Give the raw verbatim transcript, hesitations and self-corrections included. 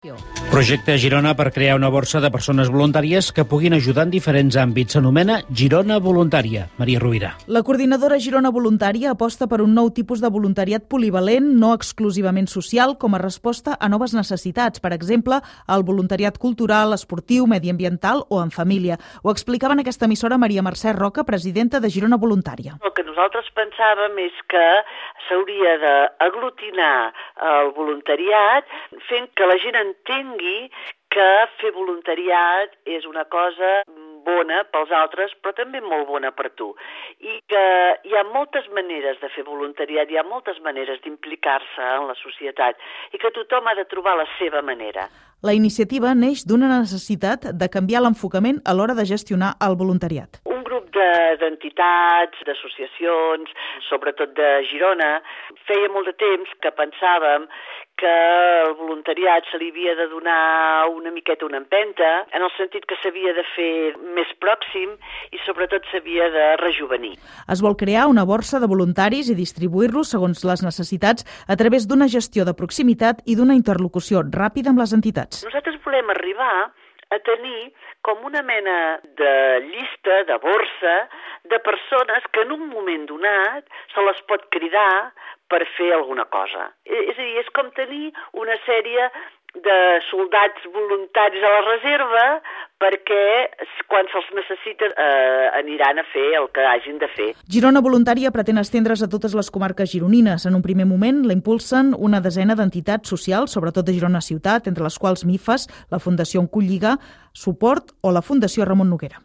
Projecte Girona per crear una borsa de persones voluntàries que puguin ajudar en diferents àmbits. S'anomena Girona Voluntària. Maria Rovira. La coordinadora Girona Voluntària aposta per un nou tipus de voluntariat polivalent, no exclusivament social, com a resposta a noves necessitats. Per exemple, el voluntariat cultural, esportiu, mediambiental o en família. Ho explicava en aquesta emissora Maria Mercè Roca, presidenta de Girona Voluntària. El que nosaltres pensàvem és que s'hauria d'aglutinar el voluntariat fent que la gent entengui que fer voluntariat és una cosa bona pels altres, però també molt bona per tu. I que hi ha moltes maneres de fer voluntariat, hi ha moltes maneres d'implicar-se en la societat i que tothom ha de trobar la seva manera. La iniciativa neix d'una necessitat de canviar l'enfocament a l'hora de gestionar el voluntariat. Un grup de, d'entitats, d'associacions, sobretot de Girona, feia molt de temps que pensàvem que el voluntariat se li havia de donar una miqueta una empenta, en el sentit que s'havia de fer més pròxim i sobretot s'havia de rejuvenir. Es vol crear una borsa de voluntaris i distribuir-los segons les necessitats a través d'una gestió de proximitat i d'una interlocució ràpida amb les entitats. Nosaltres volem arribar a tenir com una mena de llista, de borsa, de persones que en un moment donat se les pot cridar per fer alguna cosa. És a dir, és com tenir una sèrie de soldats voluntaris a la reserva perquè quan se'ls necessita eh, aniran a fer el que hagin de fer. Girona Voluntària pretén estendre's a totes les comarques gironines. En un primer moment la impulsen una desena d'entitats socials, sobretot de Girona Ciutat, entre les quals MIFAS, la Fundació Oncolliga, Suport o la Fundació Ramon Noguera.